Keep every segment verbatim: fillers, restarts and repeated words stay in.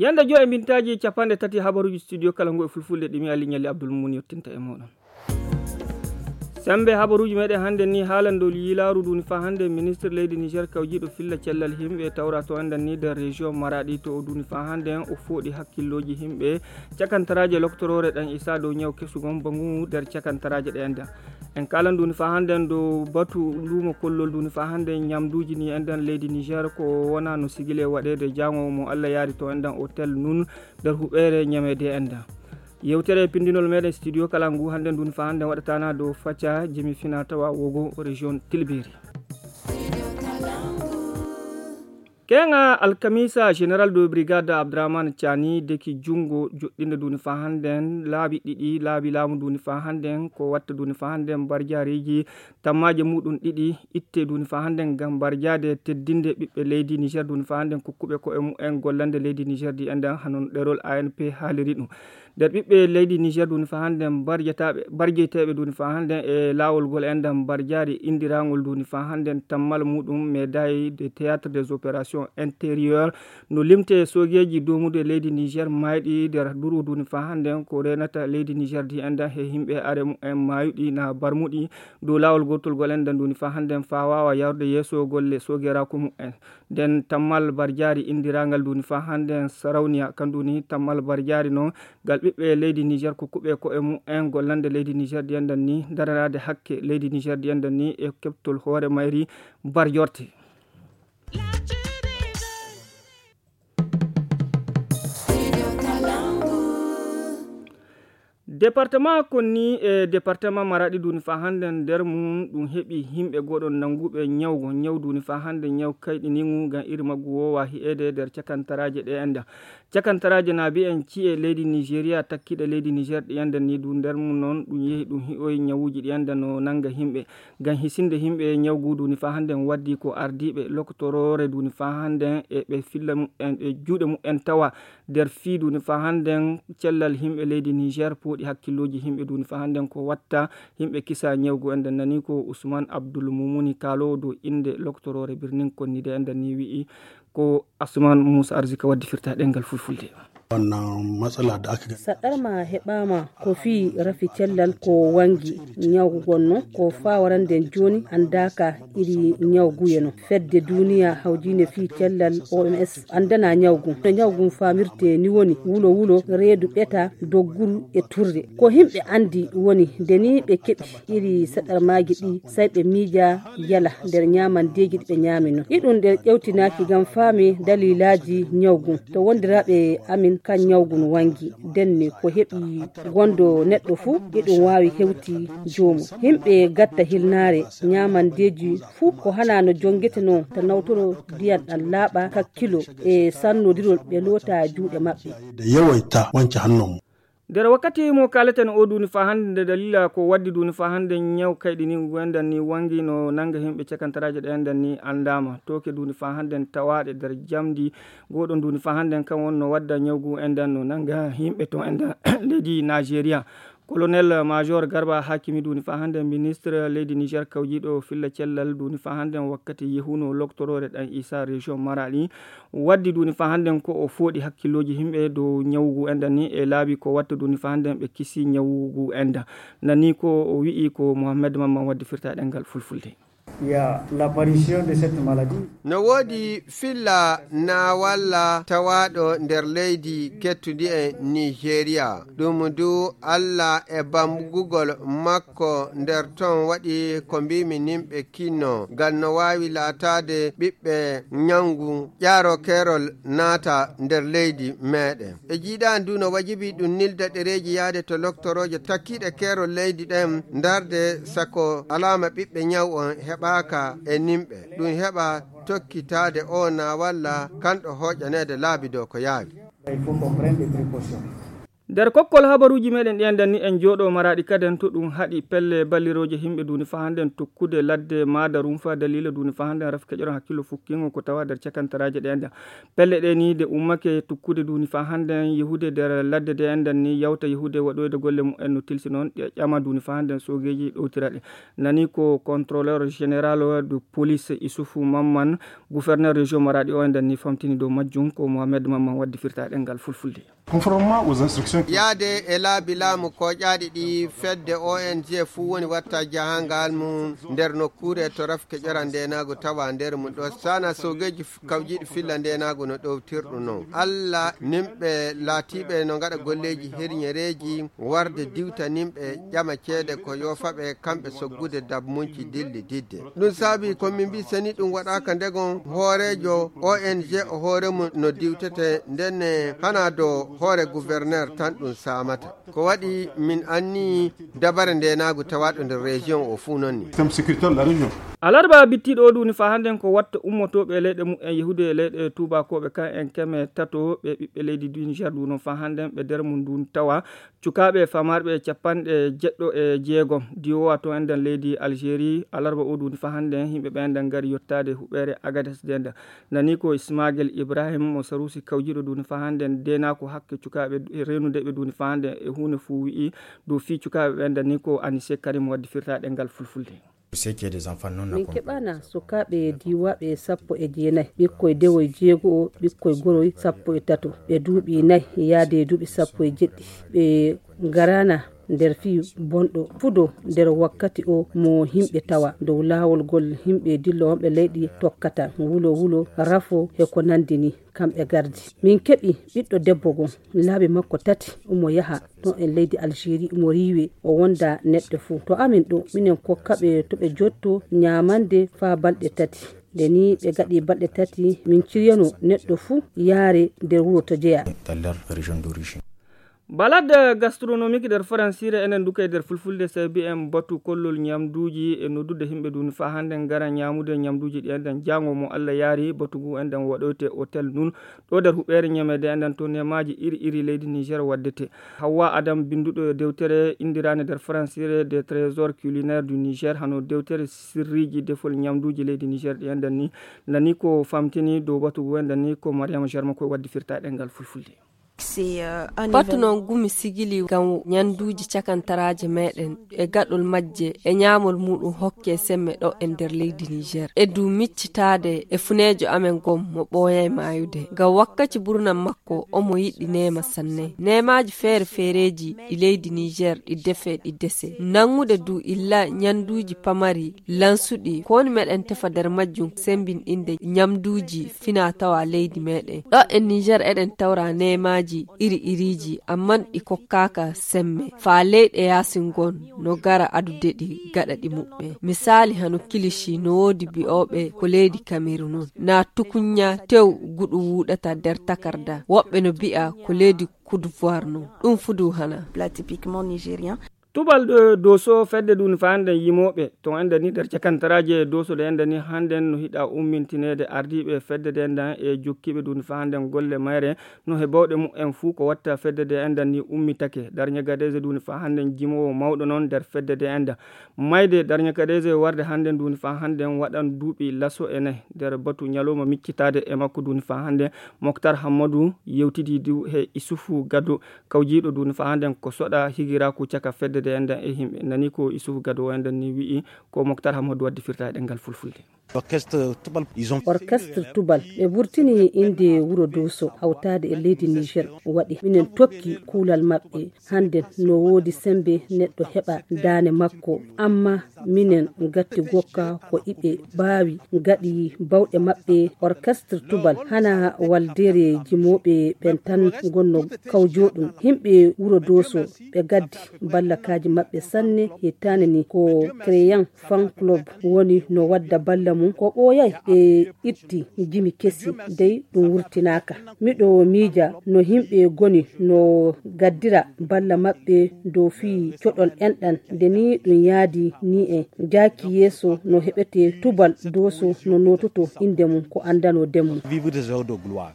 Yande joy e mbintaaji capanɗe tati habaruuji studio kala ngu e fulfulde ɗi mi Ali Ñalli Abdul Mumun yottinta e mooɗon. Sembe habaruuji meɗen hannde ni haalan dow yiilaaru nduni faa hannde ministre leydi Niger kawjiiɗo filla cellal yimɓe tawra to enɗan ni nder région Maradi to o nduni faa hannde o fooɗi hakkillooji yimɓe cakantaraaje loktoroore ɗan isa dow ñaw kesugon bangu nder cakantaraaje ɗe enɗan. En kaalan nduni faa hannde dow batu luumo kollol nduni faa hannde ñamduuji ni enɗan leydi Niger ko wona no sigile waɗeede jaango mo Allah yaari to enɗan hotel nun nder huɓeere ñameede enɗan. Yewtere pindinol meɗen studio kala ngu hannde ndun faa hannde waɗatana dow facca jimi fina tawa wogo région Tilberi. Keŋa alkamisa général de brigade Abdourahmane Tiani deki junngo joɗɗinde nduni faa hannde laabi ɗiɗi laabi laamu nduni faa hannde ko watta nduni faa hannde mbarjaariji tammaaje muɗum ɗiɗi itte nduni faa hannde ngam mbarjaade teddinde ɓiɓɓe leydi Niger nduni faa hannde kokkuɓe ko'e mu'en gollande leydi Niger ndi enɗan hanon ɗerol A N P haaliri ɗum. Nder ɓiɓɓe leydi Niger nduni faa hannde mbarjataaɓe mbarjeyteeɓe nduni faa hannde e laawol ngol enɗan mbarjaari inndiraangol nduni faa hannde tammal muɗum médaille de théâtre des opérations intérieures no limte soogeeji doomude leydi Niger maayɗi nder duru nduni faa hannde ko reenata leydi Niger ndi enɗan he yimɓe are mu'en maayuɗi na barmuɗi dow laawol gootol ngol enɗan nduni faa hannde faa waawa yarude yeeso golle soogeeraaku mu'en. Nden tammal barjaari inndiraangal nduni faa hannde sarauniya kan nduni tammal barjaari non ngal ɓiɓɓe leydi Niger kokkuɓe ko'e mu'en gollande leydi Niger ndi enɗan ni daranaade hakke leydi Niger ndi enɗan ni e keɓtol hoore mayri barjorte. Département konni e département Maradi nduni faa hannde nder mum ɗum heɓi yimɓe goɗon nannguɓe ñawgo ñaw nduni faa hannde ñaw kayɗinigu ngam iri maggu wowa hi'eede nder cakantaraaje ɗe enɗan. Cakantaraaje na mbi'en ci'e leydi Nigeria takkiɗe leydi Niger ɗi enɗan ni du nder mum noon ɗum yehi ɗum hi'oyi ñawuuji ɗi enɗan no nannga yimɓe. Ngam hisinde yimɓe ñawgu nduni faa hannde waddi ko ardiiɓe lokotoroore nduni faa hannde e ɓe filla mu'en e juuɗe mu'en tawa nder fii nduni faa hannde cellal yimɓe leydi Niger pooɗi hakkillooji yimɓe nduni faa hannde ko watta yimɓe kisa ñawgu enɗan nani ko Ousmane Abdoul Moumouni kaaloowo dow innde lokotoroore birnin konnide enɗan ni wi'i ko Assoumane Moussa Arzika waddi firta ɗengal fulfulde. Wannan matsala da aka gani. Saɗɗarma heɓaama ko fii rafi cellal ko wangi ñawgu gonno ko faa warande jooni anndaaka iri ñawguye no. Fedde duniya hawjiinde fii cellal O M S anndana ñawgu. No ñawgu faamirte ni woni wulo wulo, reedu ɓeta, dogguru e turde. Ko himɓe anndi woni nde ni ɓe keɓi iri saɗɗarmaaji ɗi, say ɓe miija yala nder ñaamandeeji ɗi ɓe ñaami non. Iɗum nder ƴewtinaaki ngam faami daliilaaji ñawgu. To wondiraaɓe amin kan ñawgu no wangi, denne ko heɓi gondo neɗɗo fuu, iɗum waawi hewti joomum. Himɓe gatta hilnaare, ñaamandeeji fuu ko hana no jonngete non, ta nawtoro ndiyan ɗan laaɓa kakkilo e sannodirol ɓe loota juuɗe maɓɓe. Da yawaita wanke hannunmu. Nder wakkati mo kaaleten o nduni faa hannde nde dalila ko waddi nduni faa hannde ñaw kayɗiniigu enɗan ni wangi no nannga yimɓe cakantaraaje ɗe enɗan ni anndaama. Tooke nduni faa hannde tawaaɗe nder jamndi gooɗo nduni faa hannde kan wonno wadda ñawgu enɗan no nannga yimɓe to enɗan leydi Nigeria. Colonel Major Garba Hakimi nduni faa hannde ministre leydi Niger kawjiiɗo filla cellal nduni faa hannde wakkati yehuno loktoroore ɗan Isa région Maradi. Waddi nduni faa hannde ko o fooɗi hakkillooji yimɓe dow ñawugu enɗan ni e laabi ko watta nduni faa hannde ɓe kisi ñawugu enɗan. Nani ko o wi'i ko Mohammed Mamman waddi firta ɗengal fulfulde. Il y a l'apparition de cette maladie. No woodi filla naawalla tawaaɗo nder leydi kettundi e Nigeria. Ɗum du Allah e bamgugol makko nder ton waɗi ko mbiimi nimɓe kinno. Ngal no waawi laataade ɓiɓɓe ñawngu ƴaaro keerol naata nder leydi meeɗen. E jiiɗaani du no wajibi ɗum nilda ɗereeji yahde to loktorooje takkiiɗe keerol leydi ɗen ndarde sako alaama ɓiɓɓe ñaw on heɓaaka e nimɓe. Ɗum heɓa tokkitaade o na walla kanɗo hooƴaneede laabi dow ko yaawi. Il faut qu'on prenne des précautions. Nder kokkol habaruuji meɗen ɗi enɗan ni, en jooɗo Maraɗi kaden to ɗum haɗi pelle ballirooje himɓe duuni fa hannden tukkude ladde maada rumfa daliila duuni fa hannden raf keƴoran hakkillo fukkingo ko tawa nder cakantaraaje ɗe enɗan. Pelle ɗe ni de ummake tukkude duuni fa hannden yehude nder ladde de enɗan ni yawta yehude waɗoyde golle mumen no tilsi noon ɗe ƴama duuni fa hannden soogeeji ɗowtira ɗe. Nani ko contrôleur général de police Isufu Mamman, gouverneur région Maraɗi o enɗan ni famtini dow majjum ko Mohamed Mamman waddi firta ɗengal fulfulde. Conformément aux instructions. Yaade e laabi laamu kooƴaaɗi ɗi fedde O N G fuu woni watta jahangal mum nder nokkuure to rafke ƴora ndeenaagu tawa nder mum ɗo sana soogeeji f-, kawjiiɗi filla ndeenaagu no ɗowtirɗum non. Alla nimɓe laatiiɓe no ngaɗa golleeji herñereeji warde diwta nimɓe ƴama ceede ko yoofaɓe kamɓe soggude dabmunci dilli didde. Ɗum saabi ko min mbi seni ɗum waɗaaka ndegon hooreejo O N G o hoore mum no diwtete ndenne hana do hoore gouverneur tan ɗum saamata. Ko waɗi min anni dabare ndeenaagu tawaaɗo nder région o fuu noon ni. Système sécuritaire de la région. Alarba bittiiɗo o duuni fa hannden ko watta ummotooɓe e leyɗe mumen yehude e leyɗe tuubakooɓe kan en keme tato ɓe ɓiɓɓe leydi du Niger du noon fa hannden ɓe nder mum ndun tawa cukaaɓe famarɓe capanɗe jeɗɗo e jeegom diwowa to enɗan leydi Algérie alarba o duuni fa hannden yimɓe ɓe enɗan ngari yottaade huɓeere Agades de enɗan. Nani ko Ismagel Ibrahim mo Sarusi kawjiiɗo duuni fa hannden deenaako hakke cukaaɓe reenude ɓe duuni fa hannden e huunde fuu wi'i dow fii cukaaɓe ɓe enɗan ni ko Anise Karim waddi firtaaɗe ngal fulfulde. Min keɓana sukaaɓe diiwaaɓe sappo e jeenayi, ɓikkoy dewoy jeego'o, ɓikkoy goroy sappo e tato, ɓe duuɓi nayi yaade duuɓi sappo e jeɗɗi, ɓe ngaraana nder fii bonɗo fudo nder wakkati o mo himɓe tawa dow laawol ngol himɓe dillo wonɓe leyɗi tokkata, wulo wulo, rafo e ko nandi ni. Kamɓe gardi. Min keɓi ɓiɗɗo debbo goo, laabi makko tati, omo yaha ɗon e leydi Algérie, omo riiwe, o wonda neɗɗo fuu. To amin ɗo, minen kokkaɓe to ɓe jotto ñaamande faa balɗe tati. Nde nii ɓe gaɗi balɗe tati, min ciryano neɗɗo fuu yaare nder wuro to jeyaa. Dans leur région d'origine. Balade gastronomique nder faransiire enen nduka e nder fulfulde sabi en batu kollol ñamduuji e noddude himɓe duni faa hannde ngara ñaamude ñamduuji ɗi enden jaango mo Allah yaari batu ngu enden waɗoyte hôtel nun ɗo nder huɓeere ñameede enden to nemaaji iri iri leydi Niger waddete. Hawwa Adam binnduɗo dewtere inndiraande nder faransiire des trésors culinaires du Niger hano dewtere sirriiji defol ñamduuji leydi Niger ɗi enden ni nani ko famtini dow batu ngu enden ni ko Mariama Jarma koye waddi firtaaɗe ngal fulfulde. Batu noon gumi sigili ngam ñannduuji cakantaraaje meeɗen e gaɗol majje e ñaamol muuɗum hokke semme ɗo e nder leydi Niger. E du miccitaade e funeejo amen gom mo ɓooyay maayude. Ngam wakkaci burnam makko omo yiɗi neema sanne. Neemaaji feere feereeji ɗi leydi Niger ɗi defe ɗi dese. Nanngude du illa ñannduuji pamari lansuɗi ko woni meɗen tefa nder majjum sembinɗinde ñamduuji fina tawa leydi meɗen. Ɗo e Niger eɗen tawra neemaaji iri iriiji, amman ɗi kokkaaka semme. Faa leyɗe yaasin ngon no gara adude ɗi gaɗa ɗi muɓɓe. Misaali hano kilishi no woodi bi'ooɓe ko leydi Kamerun non. Na tukunya tew guɗu wuuɗata nder takarda. Woɓɓe no bi'a ko leydi Cote d'Ivoire non. Ɗum fudu hana. Plat typiquement nigérien. Tubal ɗo Doso fedde duni fa hannde yimooɓe to enden ni nder cakantaraaje Doso ɗe enden ni hannden no hiɗa ummintineede ardiiɓe fedde ɗe enden e jokkiiɓe duni fa hannden golle mayre no he bawɗe mumen fuu ko watta fedde ɗe enden ni ummitake. Darñe Gadeeze duni fa hannden jimoowo mawɗo noon nder fedde ɗe enden. Mayde Darñe Gadeeze warde hannden duni fa hannden waɗan duuɓi laso e nayi nder batu ñalawma miccitaade e makko duni fa hannden Moktar Hammadu yewtidi du he Isufu Gado kawjiiɗo duni fa hannden ko soɗa higiraaku caka fedde ɗe enden e himɓe. Nani ko Isufu Gado o enden ni wi'i ko Moktar Hammadu waddi firtaaɗe ɗemngal fulfulde. Orchestre Tubal, ils ont Orchestre Tubal, ɓe burtini innde wuro Doso, hawtaade e leydi Niger waɗi. Minen tokki kuulal maɓɓe. Hannde no woodi semmbe neɗɗo heɓa daane makko. Amma minen gatti gokka ko iɓe baawi gaɗi bawɗe maɓɓe. Orchestre Tubal hana waldere jimooɓe ɓen tan ngonno kawjoɗum. Himɓe wuro Doso ɓe gaddi ballakaaji maɓɓe sanne. Hittaane ni ko Créan Fan Club woni no wadda balla mum. Ko ɓooyay ɓe itti jimi kesi, dey ɗum wurtinaaka. Miɗo miija no himɓe goni no gaddira balla maɓɓe dow fii coɗol enɗan. Nde ni ɗum yaadi ni en jaaki yeeso no heɓete Tubal Doso no noototo innde mum ko anndanoo demum. Vivre des heures de gloire.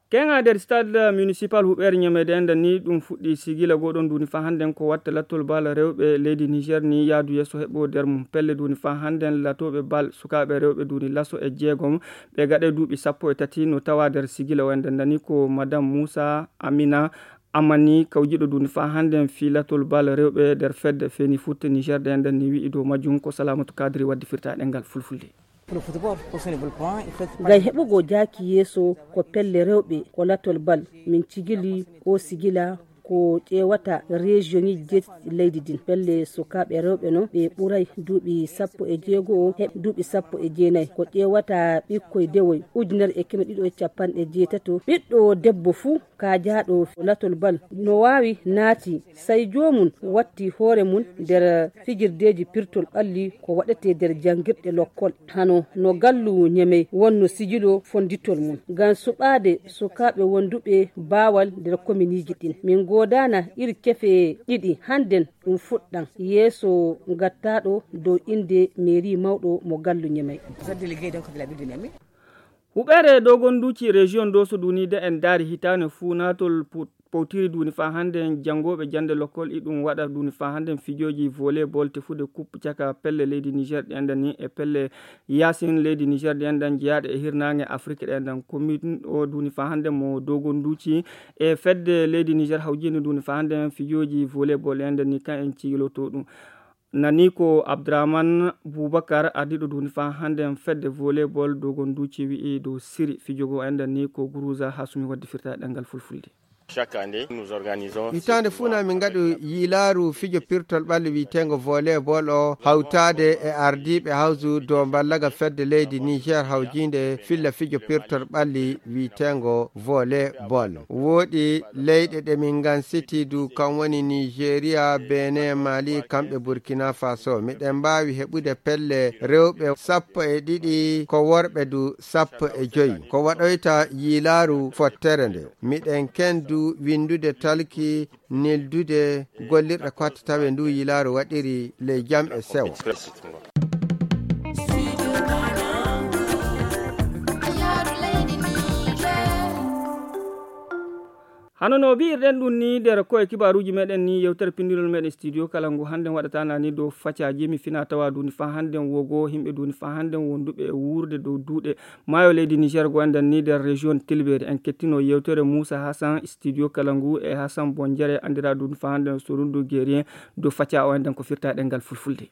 Keŋa nder stade municipal huɓeere ñamede enda ni ɗum fuɗɗi sigila goɗon duni fa hannden ko watta lattol bal rewɓe leydi Niger ni yaadu yeeso heɓo nder mum. Pelle duni fa hannden latooɓe bal sukaaɓe rewɓe duni laso e jeegom ɓe gaɗe duuɓi sappo e tati no tawa nder sigila o enda ndani ko madame Moussa Amina Amani kawjiɗo duni fa hannden fii lattol bal rewɓe nder fedde feni futte Niger de enda ni wi'i dow majjum ko Salamatu Kadri waddi firta ɗengal fulfulde. Ngam heɓugo jaaki yeeso ko pelle rewɓe ko latol bal min cigili o sigila ko ƴeewata rejiyoŋiji jeetati leydi din. Pelle sukaaɓe rewɓe no ɓe ɓuray duuɓi sappo e jeego o heɓ duuɓi sappo e jeenayi ko ƴeewata ɓikkoy dewoy ujunere e keme ɗiɗo e capanɗe jeetato ɓiɗɗo debbo fuu kaajaaɗo latol bal no waawi naati sai joomum watti hoore mum nder fijirdeeji pirtol ɓalli ko waɗetee nder janngirɗe lokkol hano no gallu ñemey wonno sijilo fonnditol mum ngam suɓaade sukaaɓe wonduɓe baawal nder kominiiji ɗin. Min goodaana iri kefe ɗiɗi hannden ɗum fuɗɗan yeeso gattaaɗo dow innde meeri mawɗo mo gallu ñemey. Huɓeere dogonduuci rejiyon doso duniide en daari hitaane fuu naatol put powtiri duuni faa hannde janngooɓe jannde lokkol iɗum waɗa duuni faa hannde fijooji volleyball tefude coupe caka pelle leydi niger ɗi anndan ni e pelle yaasin leydi niger ɗi anndan jeyaaɗe e hirnaange afrik ɗi anndan commune o duuni faa hannde mo dogonduuci e fedde leydi niger hawjiinde duuni faa hannde fijooji volleyball ɗi anndan ni kan en cigiloto ɗum. Nani ko Abdurahman Bubakar ardiɗo duni fa hande en fedde volleyball dogonduci wi'i dow siri fijogo enden ni ko guruza ha sumi waddi firta ɗengal fulfulde. Chaque année nous organisons hitaande fuu na min ngaɗu yiilaaru fijo pirtol ɓalli wi'eteengo volleyball o hawtaade e ardiiɓe hawsu dow mballaga fedde leydi niger hawjiinde filla fijo pirtol ɓalli wi'eteengo volleyball. Wooɗi leyɗe ɗe min ngansiti du kam woni nigeria benin mali kamɓe burkina faso miɗen mbaawi heɓude pelle rewɓe sappo e ɗiɗi ko worɓe du sappo e joyi ko waɗoyta yiilaaru fottere nde miɗen kendu winndude talki nildude gollirɗe kotte tawe ndu yiilaaru waɗiri ley jam e sew. Hano no wi'irɗen ɗum ni nder koye kibaruuji meɗen ni yewtere pinndinol meɗen studio kala ngu hannden waɗata nani dow facaaji mi fina tawa duuni faa hannden wogo yimɓe duuni faa hannden wonduɓe e wuurde dow duuɗe maayo leydi niger go anndan ni nder région tilberi en kettino yewtere moussa hassan studio kala ngu e hassan bonjere anndira duuni faa hannden sorundu guerien dow faca o annden ko firta ɗengal fulfulde.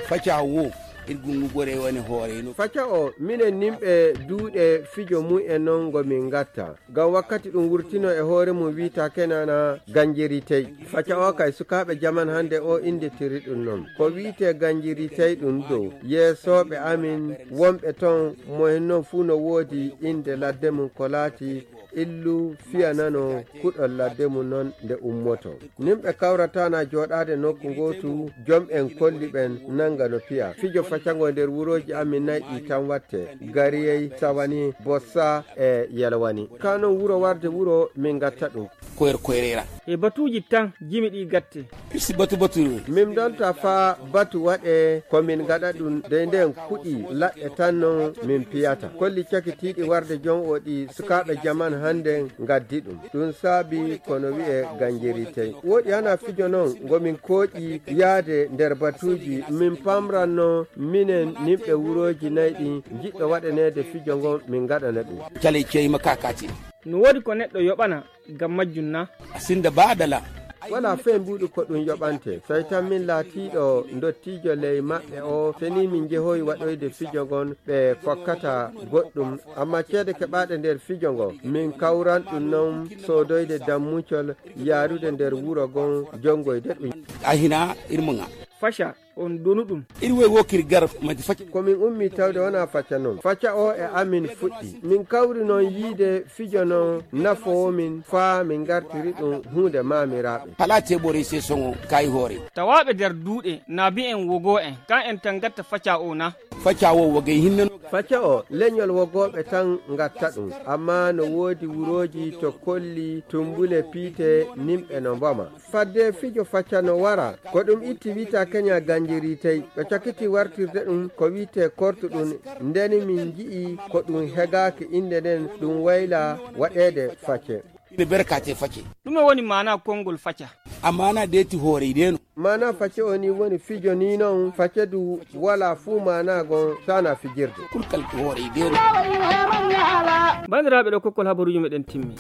Faca wo irgungu gore woni hoore no faca o minen nimɓe duuɗe fijo mum e non ngo min ngatta ngam wakkati ɗum wurtino e hoore mum wiita kenana ganjeri tey faca o kay sukaaɓe jaman hannde o innditiri ɗum non ko wiite ganjeri tey ɗum dow yeesooɓe amin wonɓe ton mo en non fuu no woodi innde ladde mum ko laati illu fiyanano kuɗol ladde mum non nde ummoto nimɓe kawratana jooɗaade nokku ngootu jom en kolli ɓen nanga no piya fijo facango nder wurooji amin nayɗi tan watte gariyey sawani bossa e yalwani ka non wuro warde wuro min gatta ɗum koyer koyrera e batuuji tan jimi ɗi gatte si batu batu min donta faa batu waɗe ko min ngaɗa ɗum dey nden kuɗi laɗɗe tan non min piyata kolli cakitiiɗi warde jon o ɗi sukaaɓe jaman hannden ngaddi ɗum ɗum saabi kono wi'e ganjeri tey woɗi hana fijo non ngo min kooƴi yaade nder batuuji min pamranno minen nimɓe wurooji nayi ɗi njiɗɗo waɗaneede fijo ngon min ngaɗana ɗum caley ceyma kakati no woodi ko neɗɗo yoɓana ngam majjum na sinda baadala wala fey mbuuɗu ko ɗum yoɓante so tawi tan min laatiiɗo ndottiijo ley maɓɓe o seni min njehoyi waɗoyde fijo ngon ɓe kokkata goɗɗum amma ceede keɓaaɗe nder fijo ngo min kawran ɗum non soodoyde dammucol yaarude nder wuro ngon jonngoyde ɗum a hina irmuga faca on donu ɗum iri woy wokiri gar madi faca komin ummi tawde wona faca noon faca o e amin fuɗɗi min kawri noon yiide fijo noon nafoowo min faa min ngartiri ɗum huunde maamiraaɓe halaa teɓore sesoŋo kay hoore tawaaɓe nder duuɗe naabi en wogo en kan en tan ngatta faca o na faca o wogey hinnano faca o leñol wogooɓe tan ngatta ɗum amma no woodi wurooji to kolli tumbule piite nimɓe no mboma fadde fijo faca no wara ko ɗum itti wita keña Njiri tey ɓe cakiti wartirde ɗum ko wiyetee kortu ɗum. Ndeni min nji'i ko ɗum hegaaki innde nden ɗum wayla waɗeede facce. Ine berkate facce. Ɗume woni maana konngol faca? A maana deeti hoore ideno. Maana facce o ni woni fijo ni non facce du wala fuu maana gon sana fijirde. Kulkal hoore ideno. Bandiraɓe, ɗo kokkol habaruji meɗen timmi.